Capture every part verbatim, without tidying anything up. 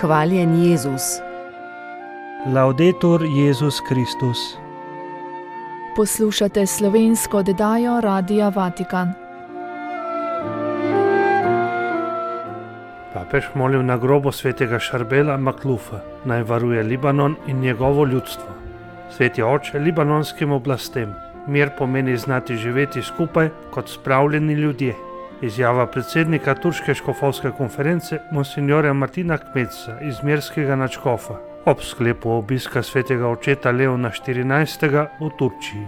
Hvaljen Jezus. Laudetur Jezus Kristus. Poslušate slovensko oddajo Radia Vatikan. Papež molil na grobu svetega Šarbela Maklufa, naj varuje Libanon in njegovo ljudstvo. Sveti oče libanonskim oblastem, mir pomeni znati živeti skupaj kot spravljeni ljudje. Izjava predsednika Turške škofovske konference monsinjorja Martina Kmetsa iz Mirskega nadškofa ob sklepu obiska svetega očeta Leona štirinajstega v Turčiji.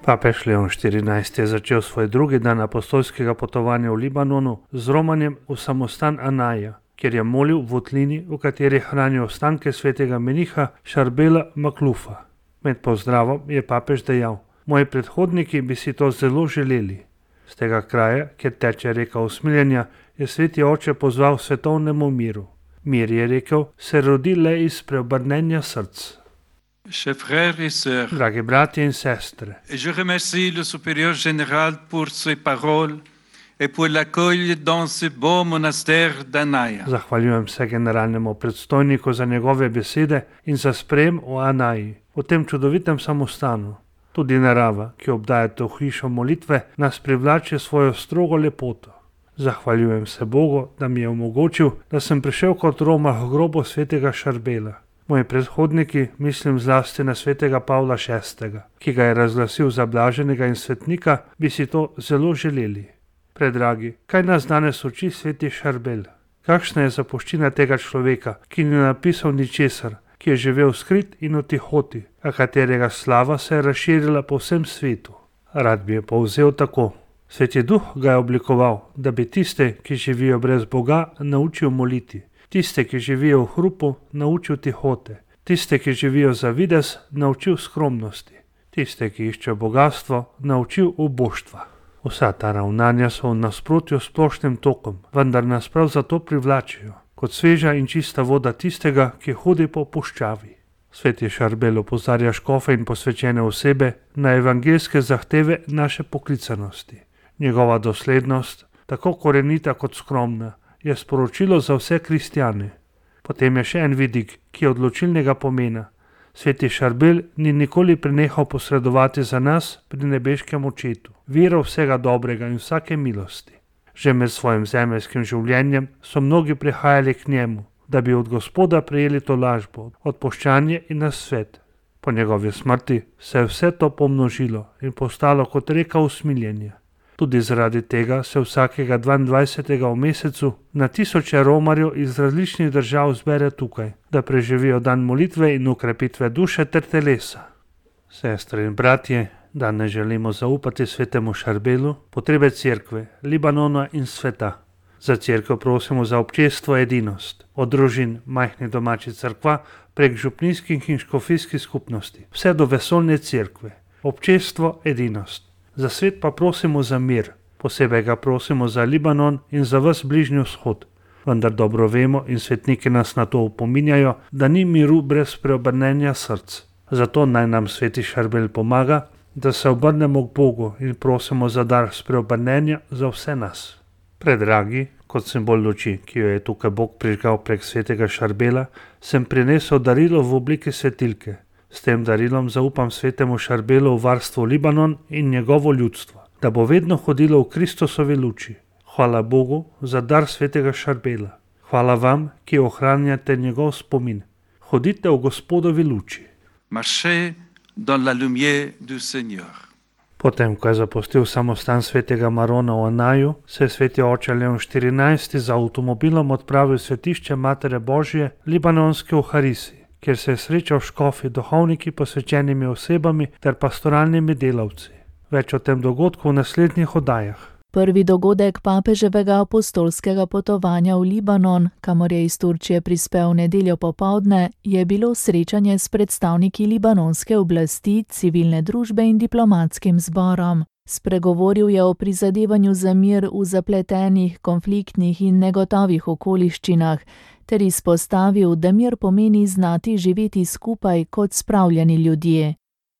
Papež Leon štirinajsti je začel svoj drugi dan apostolskega potovanja v Libanonu z romanjem v samostan Anaja, kjer je molil v votlini, v kateri hranijo ostanke svetega meniha Šarbela Maklufa. Med pozdravom je papež dejal: "Moji predhodniki bi si to zelo želeli." Z tega kraja, kjer teče reka usmiljenja, je sveti oče pozval svetovnemu miru. Mir, je rekel, se rodi le iz preobrnenja src. Chers frères et sœurs, Dragi bratje in sestre, je remercie le supérieur général pour ses paroles et pour l'accueil dans ce beau monastère d'Anaja. zahvaljujem se generalnemu predstojniku za njegove besede in za sprejem v Anaji, v tem čudovitem samostanu. Tudi narava, ki obdaja to hišo molitve, nas privlači svojo strogo lepoto. Zahvaljujem se Bogu, da mi je omogočil, da sem prišel kot Roma v grobo svetega Šarbela. Moji predhodniki, mislim zlasti na svetega Pavla šestega, ki ga je razglasil za blaženega in svetnika, bi si to zelo želeli. Predragi, kaj nas danes uči sveti Šarbel? Kakšna je zapuščina tega človeka, ki ni napisal ničesar, ki je živel skrit in v tihoti, a katerega slava se je razširila po vsem svetu? Rad bi je povzel tako: Sveti Duh ga je oblikoval, da bi tiste, ki živijo brez Boga, naučil moliti, tiste, ki živijo v hrupu, naučil tihote, tiste, ki živijo za videz, naučil skromnosti, tiste, ki iščejo bogatstvo, naučil uboštva. Vsa ta ravnanja so v nasprotju s splošnim tokom, vendar nas prav zato privlačijo, kot sveža in čista voda tistega, ki hodi po puščavi. Sveti Šarbel opozarja škofe in posvečene osebe na evangeljske zahteve naše poklicanosti. Njegova doslednost, tako korenita kot skromna, je sporočilo za vse kristjane. Potem je še en vidik, ki je odločilnega pomena. Sveti Šarbel ni nikoli prenehal posredovati za nas pri nebeškem očetu, viro vsega dobrega in vsake milosti. Že med svojim zemeljskim življenjem so mnogi prihajali k njemu, da bi od Gospoda prejeli tolažbo, odpuščanje in nasvet. Po njegovi smrti se je vse to pomnožilo in postalo kot reka usmiljenja. Tudi zaradi tega se vsakega dvaindvajsetega v mesecu na tisoče romarjev iz različnih držav zbere tukaj, da preživijo dan molitve in ukrepitve duše ter telesa. Sestre in bratje, danes želimo zaupati svetemu Šarbelu potrebe cerkve, Libanona in sveta. Za cerkev prosimo za občestvo edinost, od družin majhnih domačih cerkva prek župnijskih in škofijskih skupnosti, vse do vesoljne cerkve. Občestvo edinost. Za svet pa prosimo za mir, posebej ga prosimo za Libanon in za ves Bližnji vzhod. Vendar dobro vemo in svetniki nas na to opominjajo, da ni miru brez preobrnenja src. Zato naj nam sveti Šarbel pomaga, da se obrnemo k Bogu in prosimo za dar spreobrnenja za vse nas. Predragi, kot simbol luči, ki jo je tukaj Bog prižgal prek svetega Šarbela, sem prinesel darilo v obliki svetilke. S tem darilom zaupam svetemu Šarbelu v varstvo Libanon in njegovo ljudstvo, da bo vedno hodilo v Kristusovi luči. Hvala Bogu za dar svetega Šarbela. Hvala vam, ki ohranjate njegov spomin. Hodite v Gospodovi luči. Marchez dans la lumière du Seigneur. Potem, ko je zapustil samostan svetega Marona v Anaju, se je sveti oče Leon štirinajsti z avtomobilom odpravil v svetišče Matere Božje libanonske v Harisi, kjer se je srečal škofi, duhovniki, posvečenimi osebami ter pastoralnimi delavci. Več o tem dogodku v naslednjih oddajah. Prvi dogodek papeževega apostolskega potovanja v Libanon, kamor je iz Turčije prispel v nedeljo popoldne, je bilo srečanje s predstavniki libanonske oblasti, civilne družbe in diplomatskim zborom. Spregovoril je o prizadevanju za mir v zapletenih, konfliktnih in negotovih okoliščinah, ter izpostavil, da mir pomeni znati živeti skupaj kot spravljeni ljudje.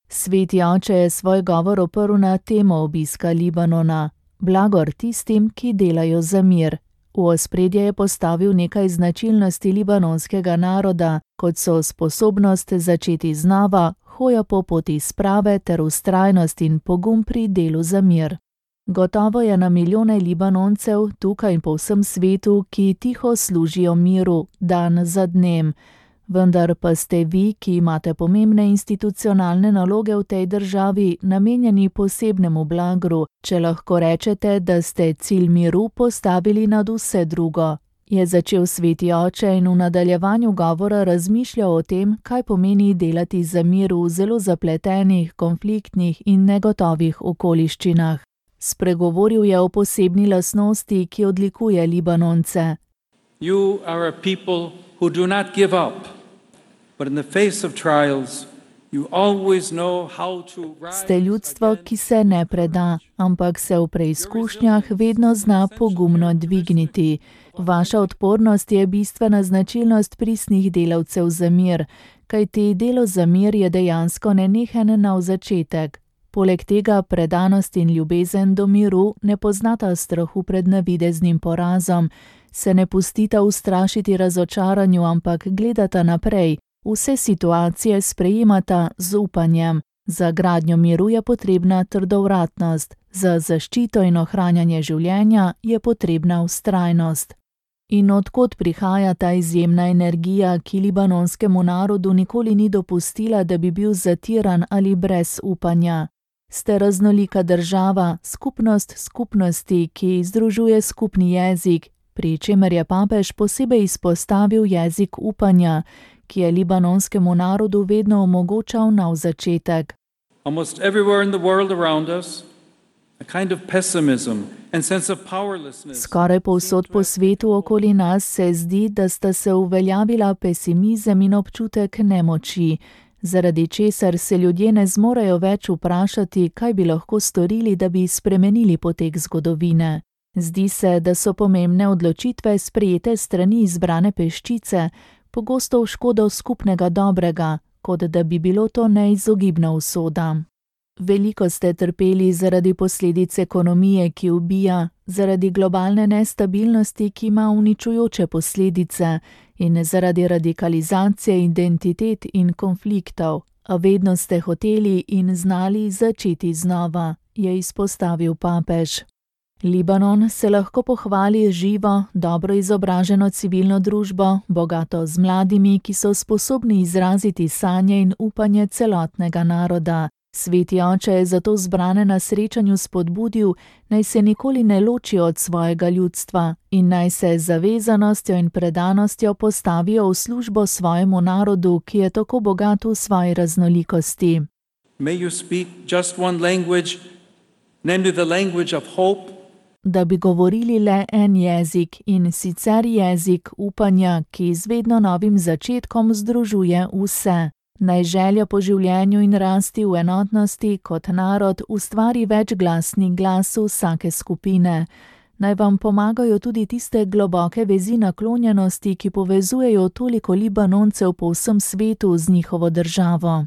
Sveti oče je svoj govor oprl na temo obiska Libanona: blagor tistim, ki delajo za mir. V ospredje je postavil nekaj značilnosti libanonskega naroda, kot so sposobnost začeti znova, hoja po poti sprave ter vztrajnost in pogum pri delu za mir. Gotovo je na milijone Libanoncev tukaj in po vsem svetu, ki tiho služijo miru, dan za dnem. Vendar pa ste vi, ki imate pomembne institucionalne naloge v tej državi, namenjeni posebnemu blagru, če lahko rečete, da ste cilj miru postavili nad vse drugo. Je začel sveti oče in v nadaljevanju govora razmišljal o tem, kaj pomeni delati za mir v zelo zapletenih, konfliktnih in negotovih okoliščinah. Spregovoril je o posebni lastnosti, ki odlikuje Libanonce. You are a people who do not give up, but in the face of trials, you always know how to rise. Ste ljudstvo, ki se ne preda, ampak se v preizkušnjah vedno zna pogumno dvigniti. Vaša odpornost je bistvena značilnost pristnih delavcev za mir, kajti delo za mir je dejansko nenehen nov začetek. Poleg tega predanost in ljubezen do miru ne poznata strahu pred navideznim porazom, se ne pustita ustrašiti razočaranju, ampak gledata naprej, vse situacije sprejemata z upanjem. Za gradnjo miru je potrebna trdovratnost, za zaščito in ohranjanje življenja je potrebna vztrajnost. In odkot prihaja ta izjemna energija, ki libanonskemu narodu nikoli ni dopustila, da bi bil zatiran ali brez upanja? Ste raznolika država, skupnost skupnosti, ki združuje skupni jezik, pri čemer je papež posebej izpostavil jezik upanja, ki je libanonskemu narodu vedno omogočal nov začetek. Almost everywhere in the world around us, a kind of pessimism and sense of powerlessness. Skoraj povsod po svetu okoli nas se zdi, da sta se uveljavila pesimizem in občutek nemoči, zaradi česar se ljudje ne zmorejo več vprašati, kaj bi lahko storili, da bi spremenili potek zgodovine. Zdi se, da so pomembne odločitve sprejete strani izbrane peščice, pogosto v škodo skupnega dobrega, kot da bi bilo to neizogibna usoda. Veliko ste trpeli zaradi posledic ekonomije, ki ubija, zaradi globalne nestabilnosti, ki ima uničujoče posledice, in zaradi radikalizacije identitet in konfliktov, a vedno ste hoteli in znali začeti znova, je izpostavil papež. Libanon se lahko pohvali živo, dobro izobraženo civilno družbo, bogato z mladimi, ki so sposobni izraziti sanje in upanje celotnega naroda. Sveti oče je zato zbrane na srečanju spodbudil, naj se nikoli ne loči od svojega ljudstva in naj se z zavezanostjo in predanostjo postavijo v službo svojemu narodu, ki je tako bogat v svoji raznolikosti. May you speak just one language, namely the language of hope. Da bi govorili le en jezik in sicer jezik upanja, ki z vedno novim začetkom združuje vse. Naj želja po življenju in rasti v enotnosti kot narod ustvari večglasni glas vsake skupine. Naj vam pomagajo tudi tiste globoke vezi naklonjenosti, ki povezujejo toliko Libanoncev po vsem svetu z njihovo državo.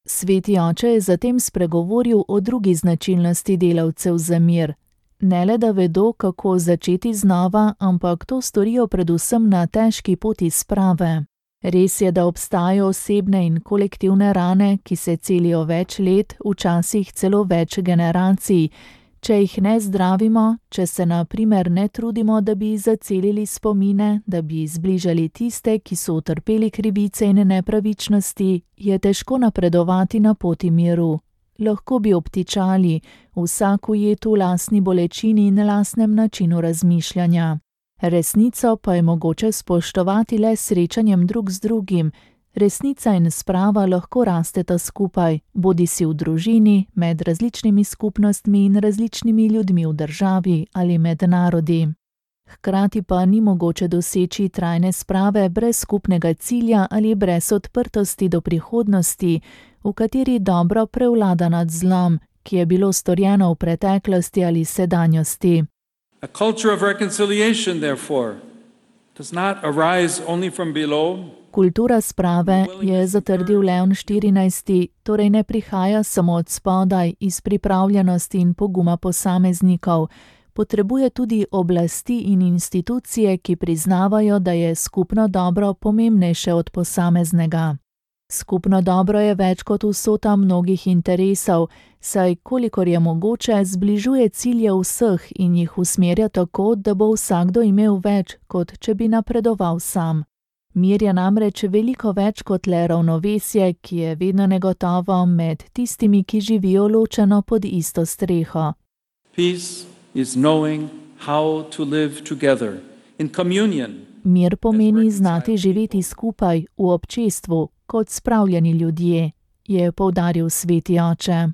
Sveti oče je zatem spregovoril o drugi značilnosti delavcev za mir. Ne le da vedo, kako začeti znova, ampak to storijo predvsem na težki poti sprave. Res je, da obstajajo osebne in kolektivne rane, ki se celijo več let, včasih celo več generacij. Če jih ne zdravimo, če se na primer ne trudimo, da bi zacelili spomine, da bi zbližali tiste, ki so utrpeli krivice in nepravičnosti, je težko napredovati na poti miru. Lahko bi obtičali, vsak ujet v lastni bolečini in lastnem načinu razmišljanja. Resnico pa je mogoče spoštovati le srečanjem drug z drugim. Resnica in sprava lahko rasteta skupaj, bodisi v družini, med različnimi skupnostmi in različnimi ljudmi v državi ali med narodi. Hkrati pa ni mogoče doseči trajne sprave brez skupnega cilja ali brez odprtosti do prihodnosti, v kateri dobro prevlada nad zlom, ki je bilo storjeno v preteklosti ali sedanjosti. A culture of reconciliation, therefore, does not arise only from below. Kultura sprave, je zatrdil Leon štirinajsti, torej ne prihaja samo od spodaj, iz pripravljenosti in poguma posameznikov. potrebuje tudi oblasti in institucije, ki priznavajo, da je skupno dobro pomembnejše od posameznega. Skupno dobro je več kot vsota mnogih interesov, saj kolikor je mogoče zbližuje cilje vseh in jih usmerja tako, da bo vsakdo imel več, kot če bi napredoval sam. Mir je namreč veliko več kot le ravnovesje, ki je vedno negotovo med tistimi, ki živijo ločeno pod isto streho. Peace is knowing how to live together in communion. Mir pomeni znati živeti skupaj v občestvu, kot spravljeni ljudje, je poudaril sveti oče.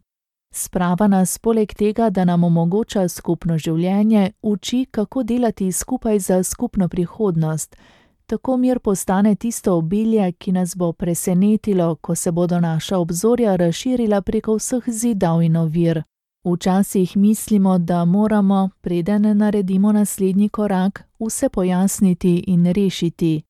Sprava nas poleg tega, da nam omogoča skupno življenje, uči, kako delati skupaj za skupno prihodnost. Tako mir postane tisto obilje, ki nas bo presenetilo, ko se bodo naša obzorja razširila preko vseh zidov in ovir. Včasih mislimo, da moramo, preden naredimo naslednji korak, vse pojasniti in rešiti.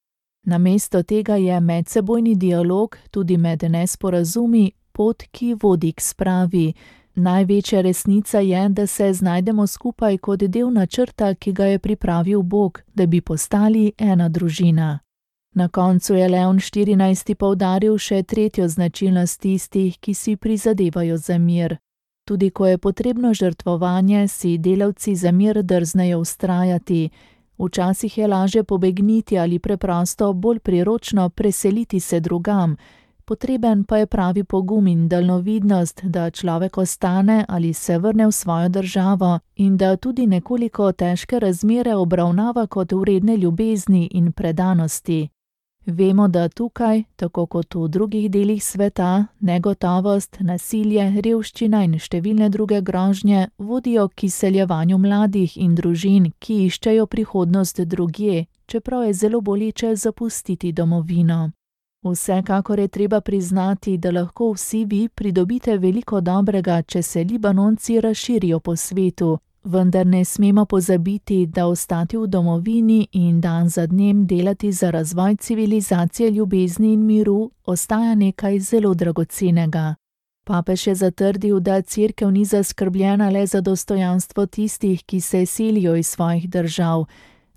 Namesto tega je medsebojni dialog, tudi med nesporazumi, pot, ki vodi k spravi. Največja resnica je, da se znajdemo skupaj kot del načrta, ki ga je pripravil Bog, da bi postali ena družina. Na koncu je Leon štirinajsti poudaril še tretjo značilnost tistih, ki si prizadevajo za mir. Tudi ko je potrebno žrtvovanje, si delavci za mir drznejo vztrajati. Včasih je lažje pobegniti ali preprosto bolj priročno preseliti se drugam. Potreben pa je pravi pogum in daljnovidnost, da človek ostane ali se vrne v svojo državo in da tudi nekoliko težke razmere obravnava kot vredne ljubezni in predanosti. Vemo, da tukaj, tako kot v drugih delih sveta, negotovost, nasilje, revščina in številne druge grožnje vodijo k izseljevanju mladih in družin, ki iščejo prihodnost drugje, čeprav je zelo boleče zapustiti domovino. Vsekakor je treba priznati, da lahko vsi vi pridobite veliko dobrega, če se Libanonci razširijo po svetu, vendar ne smemo pozabiti, da ostati v domovini in dan za dnem delati za razvoj civilizacije ljubezni in miru ostaja nekaj zelo dragocenega. Papež je zatrdil, da cerkev ni zaskrbljena le za dostojanstvo tistih, ki se selijo iz svojih držav.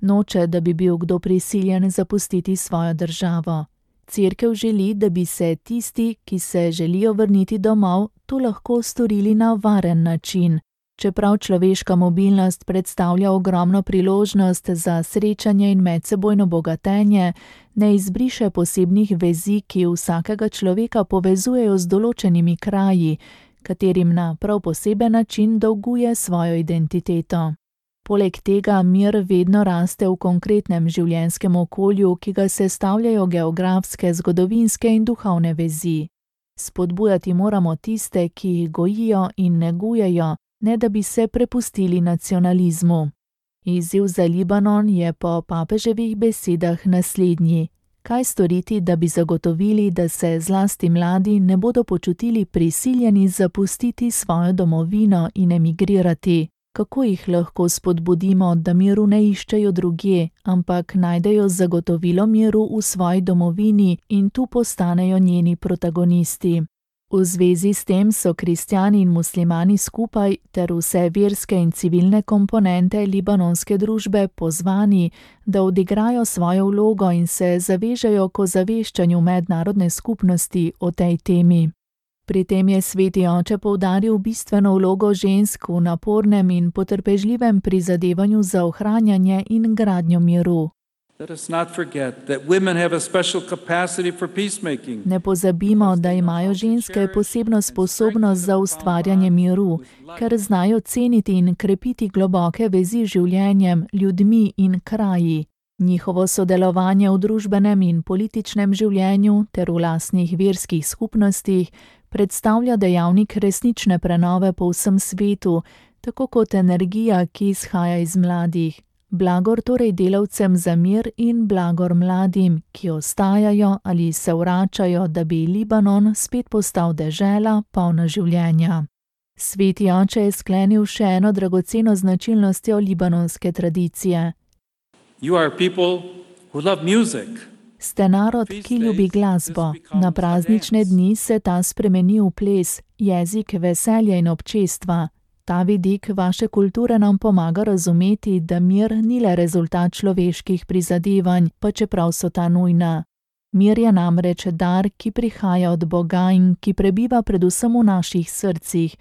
Noče, da bi bil kdo prisiljen zapustiti svojo državo. Cerkev želi, da bi se tisti, ki se želijo vrniti domov, to lahko storili na varen način. Čeprav človeška mobilnost predstavlja ogromno priložnost za srečanje in medsebojno bogatenje, ne izbriše posebnih vezi, ki vsakega človeka povezujejo z določenimi kraji, katerim na prav poseben način dolguje svojo identiteto. Poleg tega mir vedno raste v konkretnem življenjskem okolju, ki ga sestavljajo geografske, zgodovinske in duhovne vezi. Spodbujati moramo tiste, ki jih gojijo in negujejo, ne da bi se prepustili nacionalizmu. Izziv za Libanon je po papeževih besedah naslednji. Kaj storiti, da bi zagotovili, da se zlasti mladi ne bodo počutili prisiljeni zapustiti svojo domovino in emigrirati? Kako jih lahko spodbudimo, da miru ne iščejo drugje, ampak najdejo zagotovilo miru v svoji domovini in tu postanejo njeni protagonisti? V zvezi s tem so kristjani in muslimani skupaj ter vse verske in civilne komponente libanonske družbe pozvani, da odigrajo svojo vlogo in se zavežejo k ozaveščanju mednarodne skupnosti o tej temi. Pri tem je sveti oče poudaril bistveno vlogo žensk v napornem in potrpežljivem prizadevanju za ohranjanje in gradnjo miru. Ne pozabimo, da imajo ženske posebno sposobnost za ustvarjanje miru, ker znajo ceniti in krepiti globoke vezi z življenjem, ljudmi in kraji. Njihovo sodelovanje v družbenem in političnem življenju ter v lastnih verskih skupnostih predstavlja dejavnik resnične prenove po vsem svetu, tako kot energija, ki izhaja iz mladih. Blagor torej delavcem za mir in blagor mladim, ki ostajajo ali se vračajo, da bi Libanon spet postal dežela polna življenja. Sveti oče je sklenil še eno dragoceno značilnostjo libanonske tradicije. You are people who love music. Ste narod, ki ljubi glasbo. Na praznične dni se ta spremeni v ples, jezik veselja in občestva. Ta vidik vaše kulture nam pomaga razumeti, da mir ni le rezultat človeških prizadevanj, pa čeprav so ta nujna. Mir je namreč dar, ki prihaja od Boga in ki prebiva predvsem v naših srcih.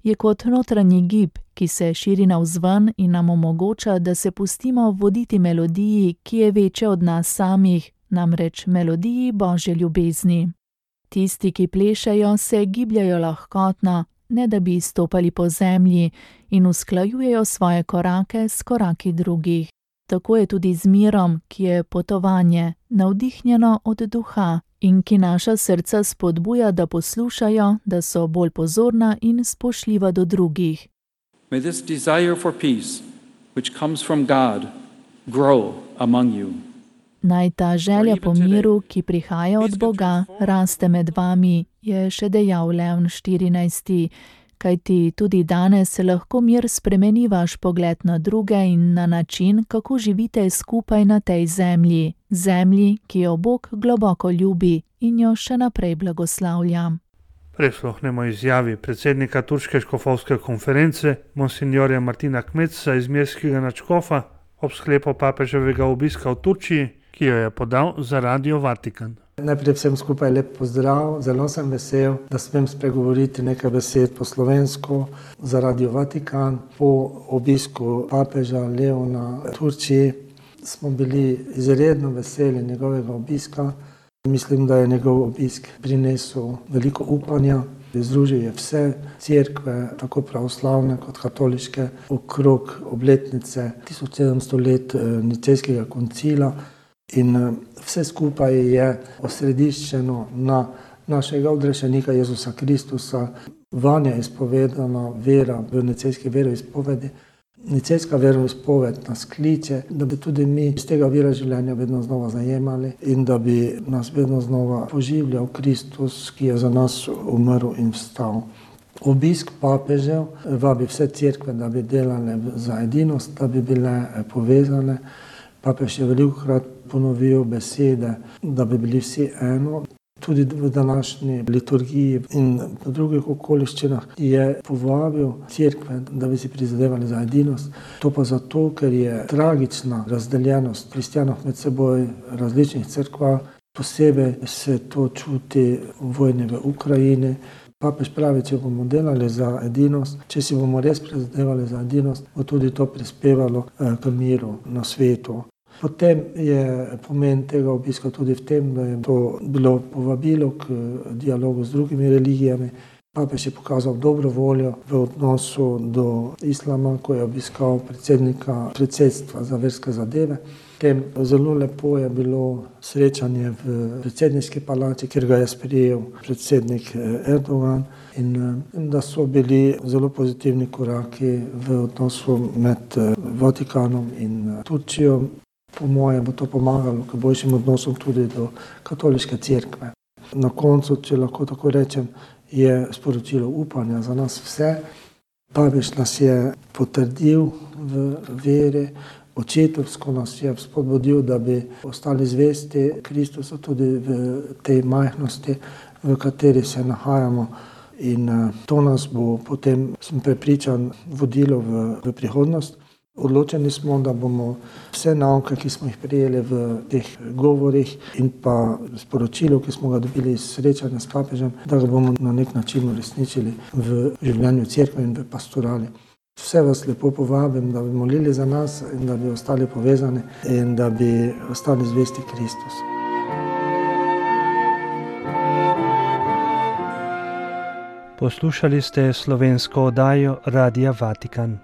Je kot notranji gib, ki se širi navzven in nam omogoča, da se pustimo voditi melodiji, ki je večja od nas samih, namreč melodiji Božje ljubezni. Tisti, ki plešejo, se gibljajo lahkotno, ne da bi stopali po zemlji, in usklajujejo svoje korake s koraki drugih. Tako je tudi z mirom, ki je potovanje, navdihnjeno od duha in ki naša srca spodbuja, da poslušajo, da so bolj pozorna in spoštljiva do drugih. May this desire for peace, which comes from God, grow among you. Naj ta želja po miru, ki prihaja od Boga, raste med vami, je še dejal Leon štirinajsti. Kajti tudi danes lahko mir spremeni vaš pogled na druge in na način, kako živite skupaj na tej zemlji, zemlji, ki jo Bog globoko ljubi in jo še naprej blagoslavlja. Prisluhnemo izjavi predsednika Turške škofovske konference, monsinjorja Martina Kmetsa iz Mirskega nadškofa, ob sklepu papeževega obiska v Turčiji, ki jo je podal za Radio Vatikan. Najprej vsem skupaj lep pozdrav, zelo sem vesel, da smem spregovoriti nekaj besed po slovensko za Radio Vatikan. Po obisku papeža Leona v Turčiji smo bili izredno veseli njegovega obiska. Mislim, da je njegov obisk prinesel veliko upanja. Združil je vse cerkve, tako pravoslavne kot katoliške, okrog obletnice tisoč sedemsto let Nicejskega koncila. In vse skupaj je osrediščeno na našega odrešenika Jezusa Kristusa. Vanje je izpovedana vera v nicejski veroizpovedi. Nicejska veroizpoved nas kliče, da bi tudi mi iz tega vira življenja vedno znova zajemali in da bi nas vedno znova poživljal Kristus, ki je za nas umrl in vstal. Obisk papežev vabi vse cerkve, da bi delale za edinost, da bi bile povezane. Papež je velikokrat ponovil besede, da bi bili vsi eno. Tudi v današnji liturgiji in v drugih okoliščinah je povabil cerkve, da bi si prizadevali za edinost. To pa zato, ker je tragična razdeljenost kristjanov med seboj različnih cerkva. Posebej se to čuti v vojni v Ukrajini. Papež pravi, če bomo delali za edinost, če si bomo res prizadevali za edinost, bo tudi to prispevalo k miru na svetu. Potem je pomen tega obiska tudi v tem, da je to bilo povabilo k dialogu z drugimi religijami. Papež je pokazal dobro voljo v odnosu do islama, ko je obiskal predsednika predsedstva za verske zadeve. Tem zelo lepo je bilo srečanje v predsedniški palači, kjer ga je sprejel predsednik Erdogan, in da so bili zelo pozitivni koraki v odnosu med Vatikanom in Turčijo. Po mojem bo to pomagalo k boljšim odnosom tudi do katoliške cerkve. Na koncu, če lahko tako rečem, je sporočilo upanja za nas vse. Papež nas je potrdil v veri, očetovsko nas je spodbudil, da bi ostali zvesti Kristusu tudi v tej majhnosti, v kateri se nahajamo. In to nas bo potem, sem prepričan, vodilo v, v prihodnost. Odločeni smo, da bomo vse nauke, ki smo jih prijeli v teh govorih in pa sporočilo, ki smo ga dobili iz srečanja s papežem, da ga bomo na nek način uresničili v življenju cerkve in v pastorali. Vse vas lepo povabim, da bi molili za nas in da bi ostali povezani in da bi ostali zvesti Kristusu. Poslušali ste slovensko oddajo Radia Vatikan.